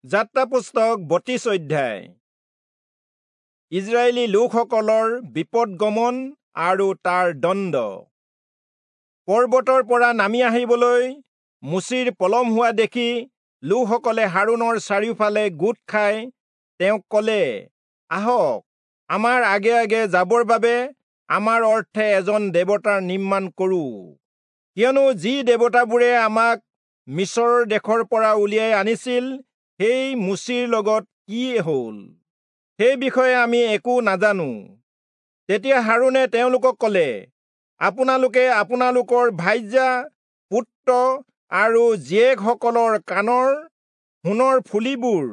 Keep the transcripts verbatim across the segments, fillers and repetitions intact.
যাত্ৰা পুস্তক বত্ৰিশ অধ্যায়। ইজৰাইলী লোকসকলৰ বিপদগমন আৰু তাৰ দণ্ড। পৰ্বতৰ পৰা নামি আহিবলৈ মোচিৰ পলম হোৱা দেখি লোকসকলে হাৰোণৰ চাৰিওফালে গোট খাই তেওঁক কলে, আহক, আমাৰ আগে আগে যাবৰ বাবে আমাৰ অৰ্থে এজন দেৱতাৰ নিৰ্মাণ কৰো, কিয়নো যি দেৱতাবোৰে আমাক মিচৰ দেশৰ পৰা উলিয়াই আনিছিল সেই মোচিৰ লগত কি হ'ল সেই বিষয়ে আমি একো নাজানো। তেতিয়া হাৰোণে তেওঁলোকক কলে, আপোনালোকে আপোনালোকৰ ভাৰ্যা, পুত্ৰ আৰু জীয়েকসকলৰ কাণৰ সোণৰ ফুলিবোৰ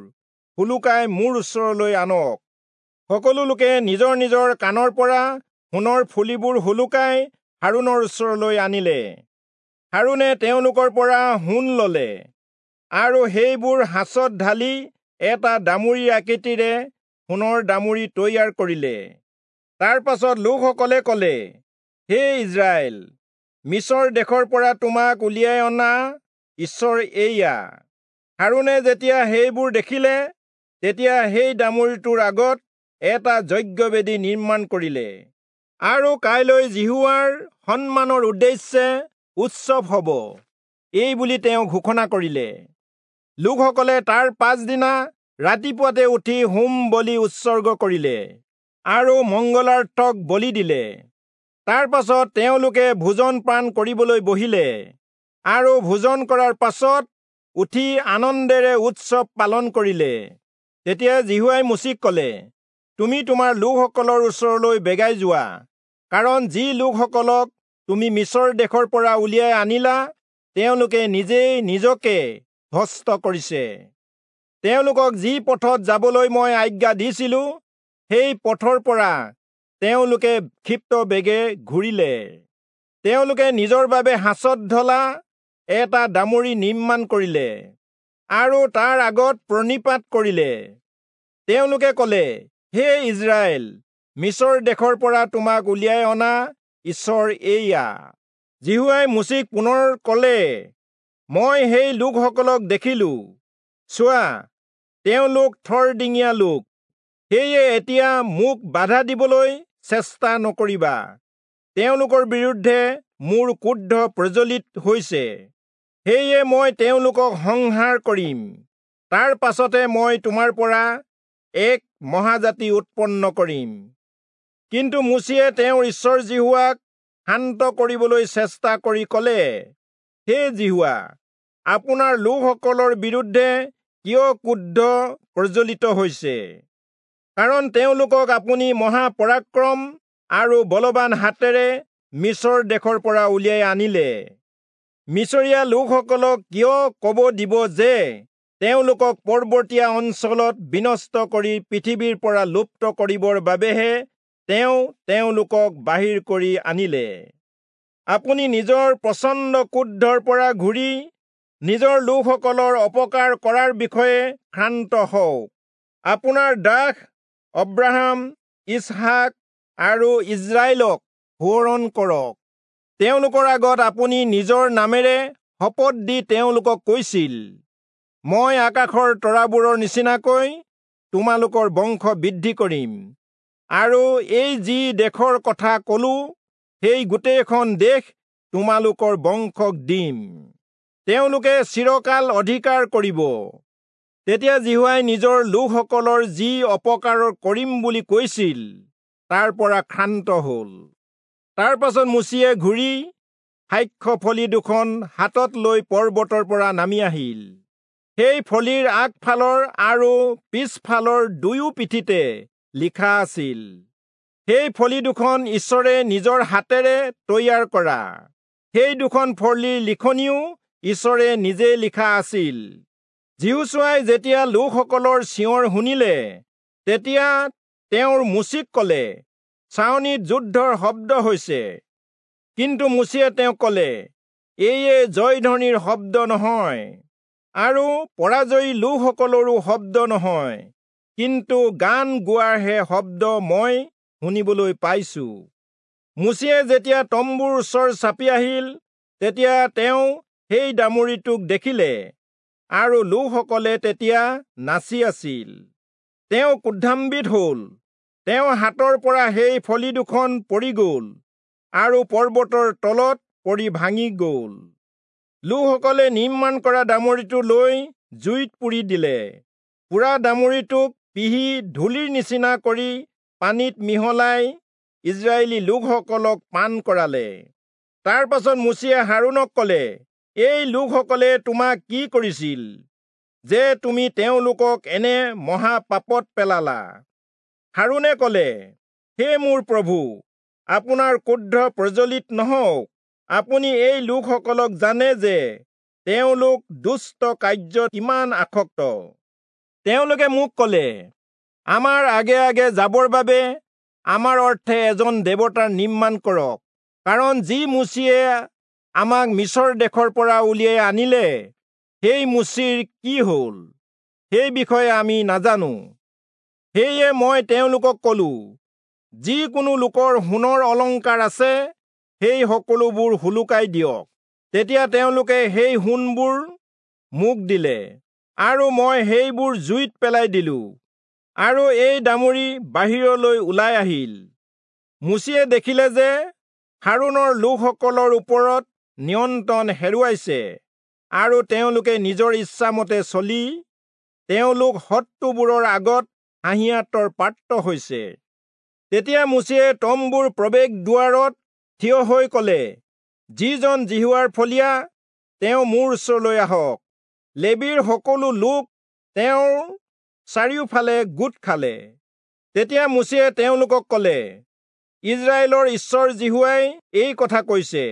সোলোকাই মোৰ ওচৰলৈ আনক। সকলো লোকে নিজৰ নিজৰ কাণৰ পৰা সোণৰ ফুলিবোৰ সোলোকাই হাৰোণৰ ওচৰলৈ আনিলে। হাৰোণে তেওঁলোকৰ পৰা সোণ ললে আৰু সেইবোৰ সাঁচত ঢালি এটা দামুৰিৰ আকৃতিৰে সোণৰ দামুৰি তৈয়াৰ কৰিলে। তাৰ পাছত লোকসকলে কলে, হে ইজৰাইল, মিচৰ দেশৰ পৰা তোমাক উলিয়াই অনা ঈশ্বৰ এইয়া। হাৰোণে যেতিয়া সেইবোৰ দেখিলে, তেতিয়া সেই দামুৰিটোৰ আগত এটা যজ্ঞবেদী নিৰ্মাণ কৰিলে। আৰু কাইলৈ যিহোৱাৰ সন্মানৰ উদ্দেশ্যে উৎসৱ হব, এই বুলি তেওঁ ঘোষণা কৰিলে। লোকসকলে তাৰ পাছদিনা ৰাতিপুৱাতে উঠি হোম বলি উৎসৰ্গ কৰিলে আৰু মংগলাৰ্থক বলি দিলে। তাৰ পাছত তেওঁলোকে ভোজন পান কৰিবলৈ বহিলে আৰু ভোজন কৰাৰ পাছত উঠি আনন্দেৰে উৎসৱ পালন কৰিলে। তেতিয়া যিহোৱাই মোচিক কলে, তুমি তোমাৰ লোকসকলৰ ওচৰলৈ বেগাই যোৱা, কাৰণ যি লোকসকলক তুমি মিচৰ দেশৰ পৰা উলিয়াই আনিলা তেওঁলোকে নিজেই নিজকে ভ্ৰষ্ট কৰিছে। তেওঁলোকক যি পথত যাবলৈ মই আজ্ঞা দিছিলো সেই পথৰ পৰা তেওঁলোকে ক্ষিপ্ত বেগে ঘূৰিলে। তেওঁলোকে নিজৰ বাবে সাঁচত ঢলা এটা দামুৰি নিৰ্মাণ কৰিলে আৰু তাৰ আগত প্ৰণিপাত কৰিলে। তেওঁলোকে কলে, হে ইজৰাইল, মিচৰ দেশৰ পৰা তোমাক উলিয়াই অনা ঈশ্বৰ এইয়া। যিহোৱাই মোচিক পুনৰ কলে, মই সেই লোকসকলক দেখিলো, চোৱা, তেওঁলোক থৰডিঙীয়া লোক, সেয়ে এতিয়া মোক বাধা দিবলৈ চেষ্টা নকৰিবা। তেওঁলোকৰ বিৰুদ্ধে মোৰ ক্ৰোধ প্ৰজ্বলিত হৈছে, সেয়ে মই তেওঁলোকক সংহাৰ কৰিম। তাৰ পাছতে মই তোমাৰ পৰা এক মহাজাতি উৎপন্ন কৰিম। কিন্তু মোচিয়ে তেওঁৰ ঈশ্বৰ যিহোৱাক শান্ত কৰিবলৈ চেষ্টা কৰি কলে, হে যিহোৱা, আপোনাৰ লোকসকলৰ বিৰুদ্ধে কিয় ক্ৰোধ প্ৰজ্বলিত হৈছে? কাৰণ তেওঁলোকক আপুনি মহাপৰাক্ৰম আৰু বলৱান হাতেৰে মিচৰ দেশৰ পৰা উলিয়াই আনিলে। মিচৰীয়া লোকসকলক কিয় কব দিব যে তেওঁলোকক পৰ্বতীয়া অঞ্চলত বিনষ্ট কৰি পৃথিৱীৰ পৰা লুপ্ত কৰিবৰ বাবেহে তেওঁ তেওঁলোকক বাহিৰ কৰি আনিলে? আপুনি নিজৰ প্ৰচণ্ড ক্ৰোধৰ পৰা ঘূৰি নিজৰ লোকসকলৰ অপকাৰ কৰাৰ বিষয়ে ক্ষান্ত হওক। আপোনাৰ দাস অব্ৰাহাম, ইচহাক আৰু ইজৰাইলক সোঁৱৰণ কৰক। তেওঁলোকৰ আগত আপুনি নিজৰ নামেৰে শপত দি তেওঁলোকক কৈছিল, মই আকাশৰ তৰাবোৰৰ নিচিনাকৈ তোমালোকৰ বংশ বৃদ্ধি কৰিম, আৰু এই যি দেশৰ কথা কলো সেই গোটেইখন দেশ তোমালোকৰ বংশক দিম, তেওঁলোকে চিৰকাল অধিকাৰ কৰিব। তেতিয়া যিহোৱাই নিজৰ লোকসকলৰ যি অপকাৰ কৰিম বুলি কৈছিল তাৰ পৰা ক্ষান্ত হল। তাৰ পাছত মোচিয়ে ঘূৰি সাক্ষ্য ফলি দুখন হাতত লৈ পৰ্বতৰ পৰা নামি আহিল। সেই ফলিৰ আগফালৰ আৰু পিছফালৰ দুয়ো পিঠিতে লিখা আছিল। সেই ফলি দুখন ঈশ্বৰে নিজৰ হাতেৰে তৈয়াৰ কৰা। সেই দুখন ফলিৰ লিখনিও ঈশ্বৰে নিজে লিখা আছিল। যিহোচূৱাই যেতিয়া লোকসকলৰ চিঞৰ শুনিলে, তেতিয়া তেওঁৰ মোচিক কলে, ছাউনিত যুদ্ধৰ শব্দ হৈছে। কিন্তু মোচিয়ে তেওঁক কলে, এয়ে জয়ধ্বনিৰ শব্দ নহয় আৰু পৰাজয়ী লোকসকলৰো শব্দ নহয়, কিন্তু গান গোৱাৰহে শব্দ মই শুনিবলৈ পাইছো। মোচিয়ে যেতিয়া তম্বুৰ ওচৰ চাপি আহিল, তেতিয়া তেওঁ সেই দামুৰিটোক দেখিলে আৰু লোকসকলে তেতিয়া নাচি আছিল। তেওঁ ক্ৰোধান্বিত হল, তেওঁ হাতৰ পৰা সেই ফলি দুখন পৰি গল আৰু পৰ্বতৰ তলত পৰি ভাঙি গল। লোকসকলে নিৰ্মাণ কৰা দামুৰিটো লৈ জুইত পুৰি দিলে। পুৰা দামুৰিটোক পিহি ধূলিৰ নিচিনা কৰি পানীত মিহলাই ইজৰাইলী লোকসকলক পান কৰালে। তাৰ পাছত মোচিয়ে হাৰোণক কলে, এই লোকসকলে তোমাক কি কৰিছিল যে তুমি তেওঁলোকক এনে মহাপাপত পেলালা? হাৰোণে কলে, হে মোৰ প্ৰভু, আপোনাৰ ক্ৰোধ প্ৰজ্বলিত নহওক। আপুনি এই লোকসকলক জানে যে তেওঁলোক দুষ্ট কাৰ্যত কিমান আসক্ত। তেওঁলোকে মোক কলে, আমাৰ আগে আগে যাবৰ বাবে আমাৰ অৰ্থে এজন দেৱতাৰ নিৰ্মাণ কৰক, কাৰণ যি মোচিয়ে আমাক মিচৰ দেশৰ পৰা উলিয়াই আনিলে, সেই মোচিৰ কি হল সেই বিষয়ে আমি নাজানো। সেয়ে মই তেওঁলোকক কলো, যিকোনো লোকৰ সোণৰ অলংকাৰ আছে সেই সকলোবোৰ সোলোকাই দিয়ক। তেতিয়া তেওঁলোকে সেই সোণবোৰ মোক দিলে, আৰু মই সেইবোৰ জুইত পেলাই দিলো, আৰু এই দামুৰি বাহিৰলৈ ওলাই আহিল। মোচিয়ে দেখিলে যে হাৰোণৰ লোকসকলৰ ওপৰত নিয়ন্ত্ৰণ হেৰুৱাইছে, আৰু তেওঁলোকে নিজৰ ইচ্ছামতে চলি তেওঁলোক শত্ৰুবোৰৰ আগত হাঁহিয়াতৰ পাত্ৰ হৈছে। তেতিয়া মোচিয়ে তম্বুৰ প্ৰৱেশ দুৱাৰত থিয় হৈ কলে, যিজন যিহোৱাৰ ফলীয়া তেওঁ মোৰ ওচৰলৈ আহক। লেবীৰ সকলো লোক তেওঁৰ চাৰিওফালে গোট খালে। তেতিয়া মোচিয়ে তেওঁলোকক কলে, ইজৰাইলৰ ঈশ্বৰ যিহোৱাই এই কথা কৈছে,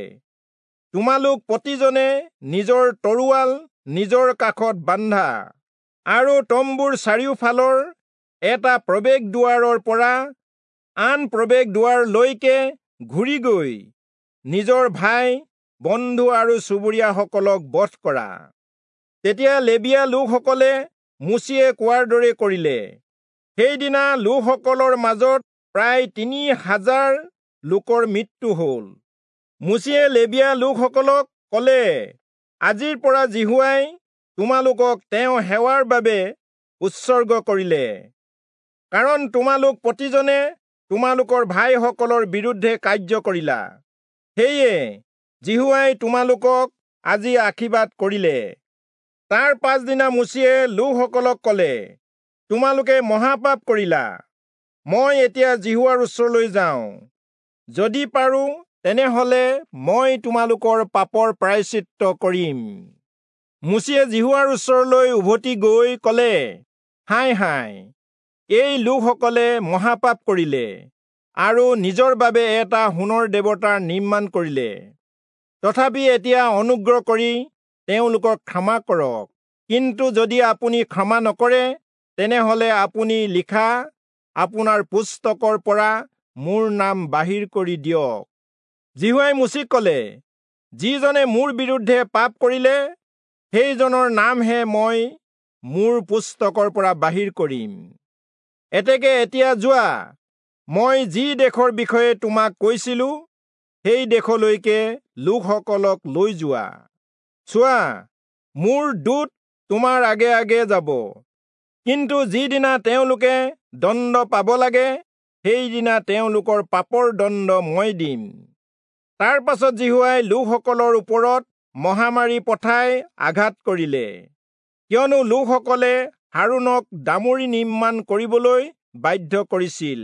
তোমালোক প্ৰতিজনে নিজৰ তৰোৱাল নিজৰ কাষত বান্ধা, আৰু তম্বুৰ চাৰিওফালৰ এটা প্ৰৱেশ দুৱাৰৰ পৰা আন প্ৰৱেশ দুৱাৰলৈকে ঘূৰি গৈ নিজৰ ভাই বন্ধু আৰু চুবুৰীয়াসকলক বধ কৰা। তেতিয়া লেবীয়া লোকসকলে মোচিয়ে কোৱাৰ দৰে কৰিলে। সেইদিনা লোকসকলৰ মাজত প্ৰায় তিনি হাজাৰ লোকৰ মৃত্যু হল। মোচিয়ে লেবীয়া লোকসকলক কলে, আজিৰ পৰা যিহোৱাই তোমালোকক তেওঁ সেৱাৰ বাবে উৎসৰ্গ কৰিলে, কাৰণ তোমালোক প্ৰতিজনে তোমালোকৰ ভাইসকলৰ বিৰুদ্ধে কাৰ্য কৰিলা। সেয়ে যিহোৱাই তোমালোকক আজি আশীৰ্বাদ কৰিলে। তাৰ পাছদিনা মোচিয়ে লোকসকলক কলে, তোমালোকে মহাপাপ কৰিলা। মই এতিয়া যিহোৱাৰ ওচৰলৈ যাওঁ। যদি পাৰো তেনেহলে মই তোমালোকৰ পাপৰ প্ৰায়শ্চিত্ত কৰিম। মোচিয়ে যিহোৱাৰ ওচৰলৈ উভতি গৈ কলে, হায় হায়, এই লোকসকলে মহাপাপ কৰিলে আৰু নিজৰ বাবে এটা সোণৰ দেৱতাৰ নিৰ্মাণ কৰিলে। তথাপি এতিয়া অনুগ্ৰহ কৰি তেওঁলোকক ক্ষমা কৰক। কিন্তু যদি আপুনি ক্ষমা নকৰে, তেনেহলে আপুনি লিখা আপোনাৰ পুস্তকৰ পৰা মোৰ নাম বাহিৰ কৰি দিয়ক। যিহোৱাই মোচিক কলে, যিজনে মোৰ বিৰুদ্ধে পাপ কৰিলে, সেইজনৰ নামহে মই মোৰ পুস্তকৰ পৰা বাহিৰ কৰিম। এতেকে এতিয়া যোৱা, মই যি দেশৰ বিষয়ে তোমাক কৈছিলো, সেই দেশলৈকে লোকসকলক লৈ যোৱা। চোৱা, মোৰ দূত তোমাৰ আগে আগে যাব। কিন্তু যিদিনা তেওঁলোকে দণ্ড পাব লাগে, সেইদিনা তেওঁলোকৰ পাপৰ দণ্ড মই দিম। তাৰ পাছত যিহোৱাই লোকসকলৰ ওপৰত মহামাৰী পঠাই আঘাত কৰিলে, কিয়নো লোকসকলে হাৰোণক দামুৰি নিৰ্মাণ কৰিবলৈ বাধ্য কৰিছিল।